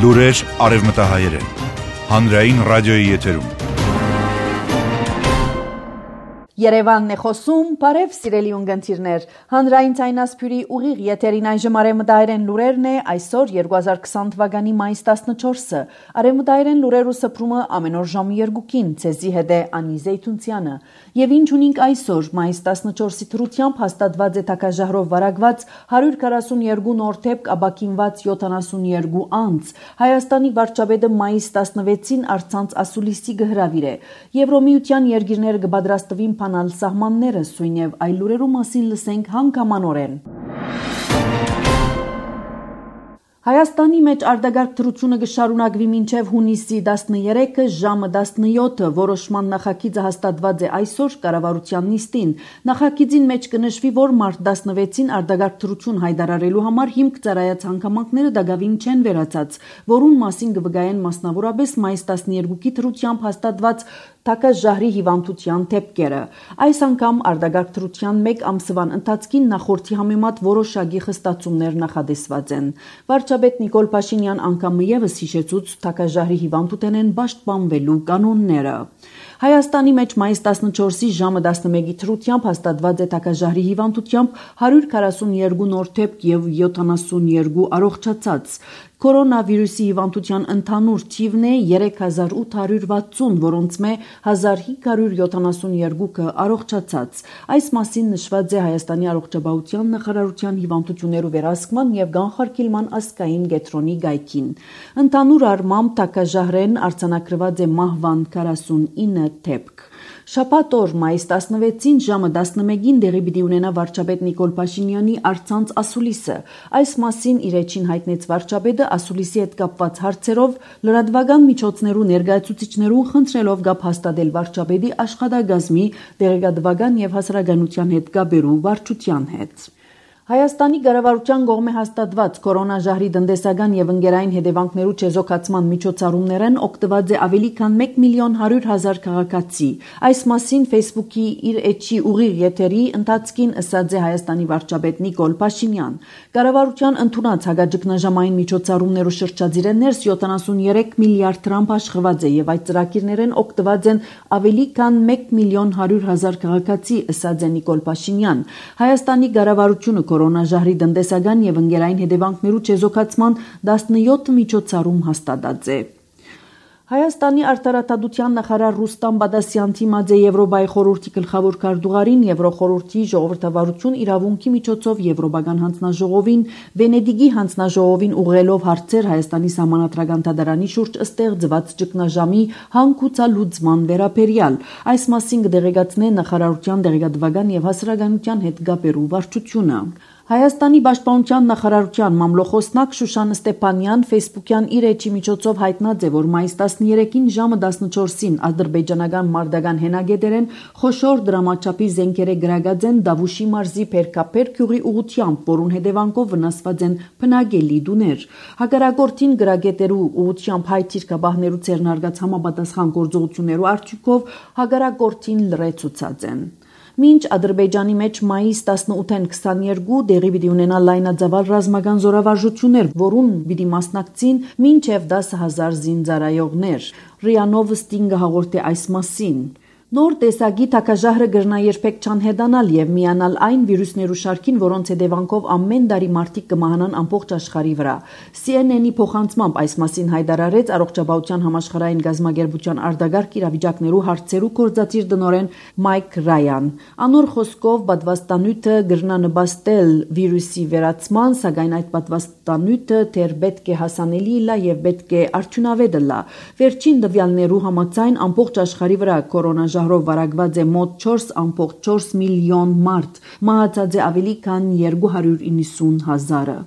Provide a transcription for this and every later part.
Լուրեր արևմտահայերեն։ Հանրային ռադիոյի եթերում։ Երևանն է խոսում, բարև սիրելի ունգընտիրներ, հանրային ցայնասփյուրի ուղիղ եթերին այժմ արևմտահայերեն լուրերն է, այսօր 2020 թվականի մայիս 14-ը, արևմտահայերեն լուրերու սփրումը ամեն օր ժամի 2-ին, ցեզի հետ է Անի Զեյթունցյանը, եւ ինչ ունենք այսօր, մայիս 14-ի թրությամբ հաստատված է թակաժահրով վարակված 142 նոր թեփք աբակինված 72 անձ, Հայաստանի վարչապետը մայիս 16-ին արցանց ասուլիսի գհրավիր է, Եվրոմիության երկիրները կպատրաստվին փանալ սահմանները, սույն եւ այլ լուրերու մասին լսենք հանգամանորեն։ Հայաստանի մեջ արտագաղթ դրությունը կշարունակվի մինչև հունիսի 13-ը ժամը 17-ը որոշման նախագիծը հաստատված է այսօր կառավարության նիստին։ Նախագիծին մեջ կնշվի, որ մարտ 16-ին արտագաղթ դրություն հայտարարելու համար հիմք ծառայած հանգամանքները դակավին չեն վերացած, որուն մասին կվկայեն մասնավորապես մայիս 12-ի դրությամբ հաստատված թակաժահրի հիվանդության թեփքերը։ Այս անգամ արտագաղթ դրության 1 ամսվան ընթացքին նախորդի համեմատ որոշակի խստացումներ նախադեсված են։ Վարչապետ Նիկոլ Փաշինյան անգամ եւս հիշեցուց թակաժահրի հիվանդութենեն պաշտպանվելու կանոնները։ Հայաստանի մեջ մայիս 14-ի ժամը 11-ի թրությամբ հաստատված է թակաժահրի հիվանդությամբ 142 նոր թեփք եւ 72 առողջացած։ Կորոնավիրուսի հիվանդության ընդհանուր թիվն է 3860, որոնց մե 1572-ը առողջացած։ Այս մասին նշված է Հայաստանի առողջապահության նախարարության հիվանդություններու վերահսկման եւ կանխարգելման ազգային կենտրոնի գայքին։ Ընդհանուր առմամբ թակաժահրեն արձանագրված է մահվան 49 թեփք։ Շաբաթ օր մայիս 16-ին ժամը 11-ին դեղի պիտի ունենա վարչապետ Նիկոլ Փաշինյանի արցանց ասուլիսը։ Այս մասին իր էջին հայտնեց վարչապետը ասուլիսի հետ կապված հարցերով լրատվական միջոցներու ներկայացուցիչներուն խնդրելով գապ հաստատել վարչապետի աշխատակազմի, դեղեկատվական եւ հասարակայնության հետ կապերու վարչության հետ։ Հայաստանի կառավարության կողմէ հաստատված կորոնաժահրի տնտեսական եւ ընկերային հետևանքներու չեզոքացման միջոցառումներեն օգտված է ավելի քան 1.100.000 քաղաքացի։ Այս մասին Facebook-ի իր էջի ուղիղ եթերի ընթացքին ըսած է Հայաստանի վարչապետ Նիկոլ Փաշինյան։ Կառավարության ընդունած հագաճգնաժամային միջոցառումներու շրջադիրը ներս 73 միլիարդ դրամ աշխատված է եւ այդ ծրագիրներեն օգտված են ավելի քան 1.100.000 քաղաքացի, ըսած է Նիկոլ Փաշինյան։ Հայաստանի կառավարությունը կորոնաժահրի տնտեսական եւ ընկերային հետևանքներու չեզոքացման 17 միջոցառում հաստատած է։ Հայաստանի արտարադատության նախարար Ռուստամ Բադասյան թիմած է Եվրոպայի խորհրդի գլխավոր քարտուղարին Եվրոխորհրդի ժողովրդավարություն իրավունքի միջոցով Եվրոպական հանձնաժողովին Վենեդիգի հանձնաժողովին ուղղելով հարցեր Հայաստանի սահմանադրական դատարանի շուրջ ստեղծված ճգնաժամի հանգուցալուծման վերաբերյալ։ Այս մասին կդեղեկացնե նախարարության դեղեկատվական եւ հասարակայնության հետ կապերու վարչությունը։ Հայաստանի պաշտպանության նախարարության մամլոխոսնակ Շուշան Ստեփանյան Facebook-յան իր էջի միջոցով հայտնած է, որ մայիս 13-ին ժամը 14-ին ադրբեջանական մարտական հենագետերեն խոշոր դրամաչափի զենքերը գրագած են Դավուշի մարզի Փերքափեր գյուղի ուղությամբ, որուն հետևանքով վնասված են բնակելի տուներ։ Հակառակորդին գրագետերու ուղությամբ հայ թիրքաբահներու ցերնարգած համապատասխան գործողություններու արդյունքով հակառակորդին լրացուցած են։ Մինչ Ադրբեջանի մեջ մայիս 18-ին 22 դեղի պիտի ունենա լայնածավալ ռազմական զորավարժություններ, որուն պիտի մասնակցին մինչև 10,000 զինծառայողներ։ ՌԻԱ Նովոստին հաղորդե այս մասին։ Նոր տեսակի թակաժահրը գրնա երբեք չանհետանալ եւ միանալ այն վիրուսներու շարքին, որոնց հետևանքով ամեն տարի մարդիկ կմահանան ամբողջ աշխարհի վրա։ CNN-ի փոխանցմամբ այս մասին հայտարարեց Առողջապահության համաշխարհային գազագերբության արտագաղթ իրավիճակներու հարցերու գործադիր տնօրեն Մայք Ռայան։ Անոր խոսքով պատվաստանյութը գրնա նպաստել վիրուսի վերացման, սակայն այդ պատվաստանյութը դեռ պետք է հասանելի լա եւ պետք է արդյունավետ լա։ Վերջին տվյալներու համաձայն ամբողջ աշխարհի վրա կորոնաժահրով վարակված է մոտ 4.4 միլիոն մարդ, մահացած է ավելի քան 290,000-ը։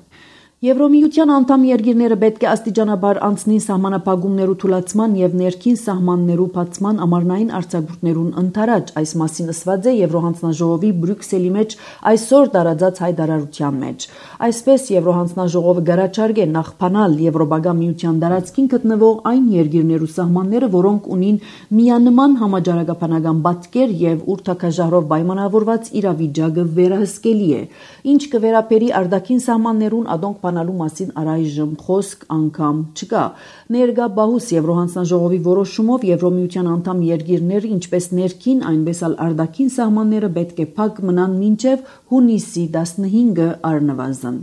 Եվրոմիության անդամ երկիրները պետք է աստիճանաբար անցնին սահմանափակումներու թուլացման եւ ներքին սահմաններու բացման ամառնային արձակուրդներուն ընթരാճ։ Այս մասին ասված է Եվրոհանձնաժողովի Բրյուսելի մեջ այսօր տարածած հայտարարության մեջ։ Այսպես Եվրոհանձնաժողովը գարաչարգե նախփանալ Եվրոպական միության տարածքին գտնվող այն երկիրներու սահմանները, որոնք ունին միանման համաճարակաբանական պատկեր եւ ուրթակաժահրով պայմանավորված իրավիճակը վերահսկելի է։ Ինչ կվերապերի արտաքին սահմաններուն, ադոնք պահպանալու մասին առայժմ խոսք անգամ չկա։ Ներկա բահուս Եվրոհանձնաժողովի որոշումով Եվրոմիության անդամ երկիրները, ինչպես ներքին, այնպես էլ արտաքին սահմանները պետք է փակ մնան մինչև հունիսի 15-ը առնվազն։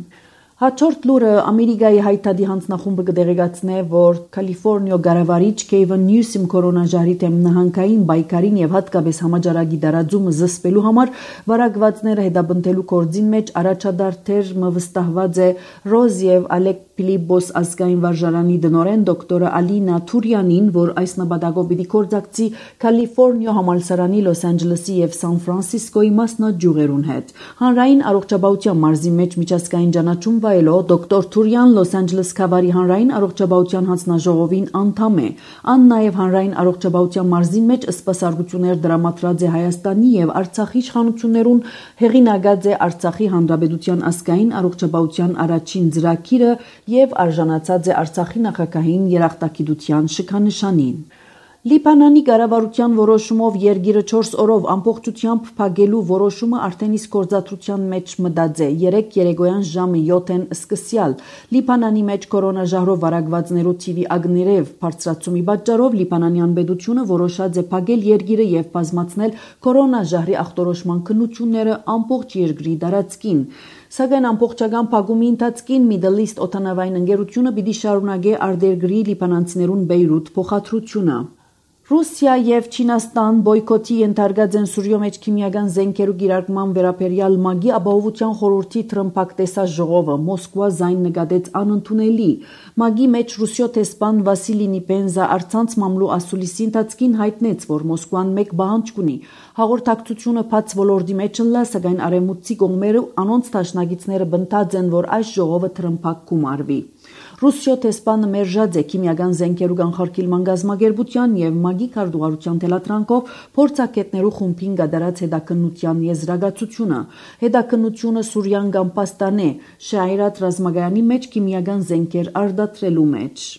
Հաջորդ լուրը Ամերիկայի հայտարարի հանձնախումբը կդեղեկացնե, որ Կալիֆոռնիա գարավարիչ Քեյվն Նյուսիմ կորոնաժահրի դեմ նահանգային պայքարին եւ հատկապես համաճարակի դարաձումը զսպելու համար վարակվածները հետապնդելու գործին մեջ առաջադարձեր վստահված է Ռոզ եւ Ալեք Փիլիպոս ազգային վարժարանի դնորեն դոկտոր Ալինա Թուրյանին, որ այս նպատակով պիտի կորձակցի Կալիֆոռնիա համալսարանի Լոս Անջելեսի եւ Սան Ֆրանսիսկոյի մասնաճյուղերուն հետ։ Հանրային առողջապահության մարզի մեջ միջազգային ճանաչում վայելող դոկտոր Թուրյան Լոս Անջելես Քավարի հանրային առողջապահության հանձնաժողովին անդամ է։ Ան նաեւ հանրային առողջապահության մարզի մեջ սպասարկություններ դրամատրած է Հայաստանի եւ Արցախի իշխանություններուն, հեղինակած է Արցախի հանրապետության ազգային առողջապահության առաջին ծրագիրը եւ արժանացած է Արցախի նախագահային երախտագիտության շքանշանին։ Լիբանանի կառավարության որոշումով երկիրը 4 օրով ամբողջությամբ փակելու որոշումը արդեն իսկ գործադրության մեջ մտած է։ 3 երեկոյան ժամը 7-ին սկսյալ Լիբանանի մեջ կորոնաժահրով վարակվածներու թիվի ագներև բարձրացումի պատճառով Լիբանանյան պետությունը որոշած է փակել երկիրը եւ բազմացնել կորոնաժահրի ախտորոշման քննությունները ամբողջ երկրի տարածքին։ Սակայն ամբողջական փակումի ընթացքին Middle East օդանավային ընկերությունը պիտի շարունակի արտերկրի լիբանանցիներուն Բեյրութ փոխադրությունը։ Ռուսիա եւ Չինաստան բոյկոտի ենթարկած են Սուրիո մեջ քիմիական զենքերու կիրարկման վերաբերյալ ՄԱԳ-ի ապահովության խորհրդի տրմփակտեսած ժողովը Մոսկվա զայն նկատեց անընդունելի։ ՄԱԳ-ի մեջ Ռուսիո տեսփան Վասիլի Նիպենզա արցանց մամլու ասուլիսի ընթացքին հայտնեց, որ Մոսկվան մեկ բանջ ունի հաղորդակցությունը բաց ոլորտի մեջ ընլա, սակայն արևմուտքի կողմերը անոնց դաշնակիցները բնտած են, որ այս ժողովը տրմփակ կումարվի։ Ռուսիո տեսփանը մերժած է քիմիական զենքերու կանխարգելման գազམ་ագերբության եւ ՄԱԳ-ի քարտուղարության թելատրանքով փորձակետներու խումբին գդարած հետաքննության եզրակացությունը։ Հետաքննությունը Սուրիան կամ Պաստան է Շայրատ ռազմագայանի մեջ քիմիական զենքեր արտադրելու մեջ։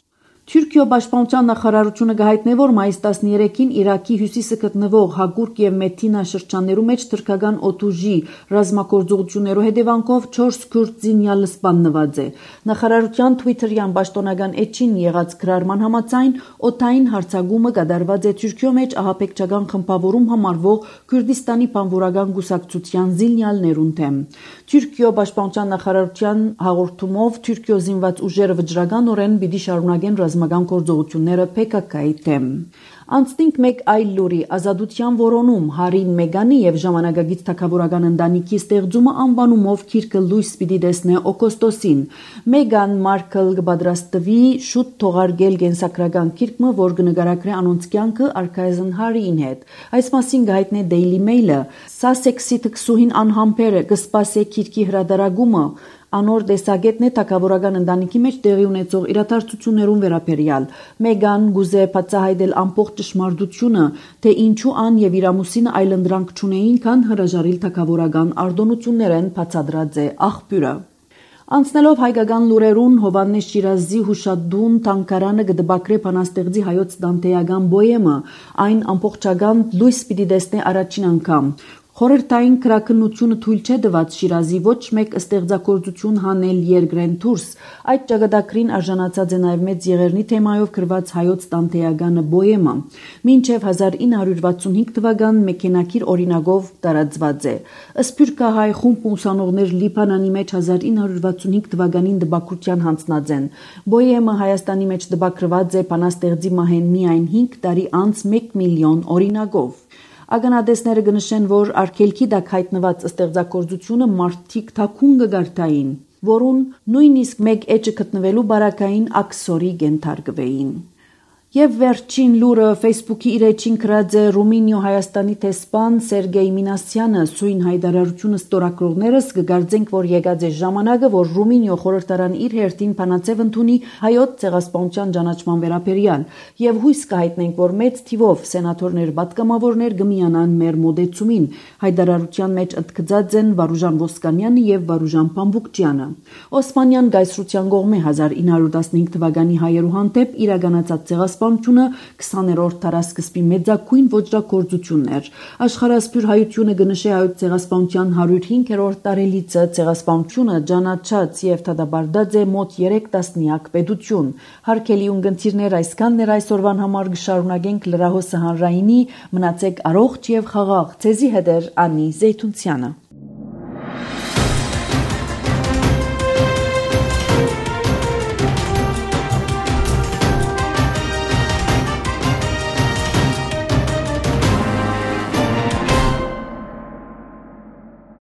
Թուրքիո պաշտպանության նախարարությունը կհայտնի, որ մայիս 13-ին Իրաքի հյուսիսը գտնվող Հակուրկ եւ Մեթինա շրջաններու մեջ թուրքական օդուժի ռազմագործողություններու հետևանքով 4 քուրդ զինյալը սպանված է։ Նախարարության Twitter-յան պաշտոնական էջին եղած գրառման համաձայն օդային հարձակումը կատարված է Թուրքիո մեջ ահաբեկչական խմբավորում համարվող Քուրդիստանի բանվորական գուսակցության զինյալներուն դեմ։ Թուրքիո պաշտպանության նախարարության հաղորդումով Թուրքիո զինված ուժերը վճռականորեն պիտի շարունակեն ռազմական գործողությունները PKK-ի դեմ։ Անցնենք մեկ այլ լուրի ազատության որոնում Հարին Մեգանի եւ ժամանակագից թագավորական ընտանիքի ստեղծումը անվանումով քիրքը լույս պիտի տեսնե օգոստոսին։ Մեգան Մարկլ կպատրաստվի շուտ թողարկել կենսագրական քիրքը, որ կնկարագրի անոնց կյանքը արքայազն Հարիին հետ։ Այս մասին գայտնե Daily Mail-ը։ Սասեքսի թքսուհին անհամբեր կսպասե քիրքի հրադարագումը։ Անոր տեսակետն է թագավորական ընտանիքի մեջ տեղի ունեցող իրադարձություններուն վերաբերյալ։ Մեգան գուզե բացահայտել ամբողջ ճշմարտությունը, թե ինչու ան եւ իր ամուսինը այլընտրանք չունեին, քան հրաժարիլ թագավորական արտոնություններեն բացադրած է աղբյուրը։ Անցնելով հայկական լուրերուն Հովանես Շիրազի հուշադուն թանգարանը կդբակրե բանաստեղծի հայոց դանտեական բոյեմը, այն ամբողջական լույս պիտի տեսնե առաջին անգամ։ Խորհրդային քրակնությունը թույլ չէ տված Շիրազի ոչ մեկ ստեղծագործություն հանել երկրեն դուրս։ Այդ ճակատագրին արժանացած է նաև մեծ եղերնի թեմայով գրված հայոց տանտեականը բոյեմը։ Մինչև 1965 թվական մեքենաքիր օրինակով տարածված է։ Սփյուռքահայ խումբ ուսանողներ Լիբանանի մեջ 1965 թվականին դպակրության հանձնած են։ Բոյեմը Հայաստանի մեջ դպակրված է բանաստեղծի մահեն միայն 5 տարի անց 1 միլիոն օրինակով։ Ականատեսները կնշեն, որ արգելքի տակ հայտնված ստեղծագործությունը մարդիկ թաքուն կգարտային, որուն նույնիսկ մեկ էջը գտնվելու բարակային աքսորի կենթարկվեին։ Եվ վերջին լուրը Facebook-ի իր էջին գրած է Ռումինիո Հայաստանի տեսփան Սերգեյ Մինասյանը սույն հայտարարությունը ստորագրողներս կգարձենք, որ եկած է ժամանակը, որ Ռումինիո խորհրդարան իր հերթին բանացև ընդունի հայոց ցեղասպանության ճանաչման վերաբերյալ եւ հույս կհայտնենք, որ մեծ թիվով սենատորներ պատգամավորներ կմիանան մեր մոդեցումին։ Հայտարարության մեջ ընդգծած են Վարուժան Ոսկանյանը եւ Վարուժան Փամբուկչյանը։ Օսմանյան գայսրության կողմէ 1915 թվականի հայերու հանդեպ իրականացած ցեղասպանության ցեղասպանությունը 20-րդ դարասկզբի մեծագույն ոճրագործությունն էր։ Աշխարհասփյուր հայությունը կնշի հայոց ցեղասպանության 105-րդ տարելիցը, ցեղասպանությունը ճանաչած եւ դադարած է մոտ 3 տասնյակ պետություն։ Հարգելի ունգընտիրներ, այսքանն էր այսօրվան համար, կշարունակենք լրահոսը հանրայինի, մնացեք առողջ եւ խաղաղ։ Ձեզի հետ էր Անի Զեյթունցյանը։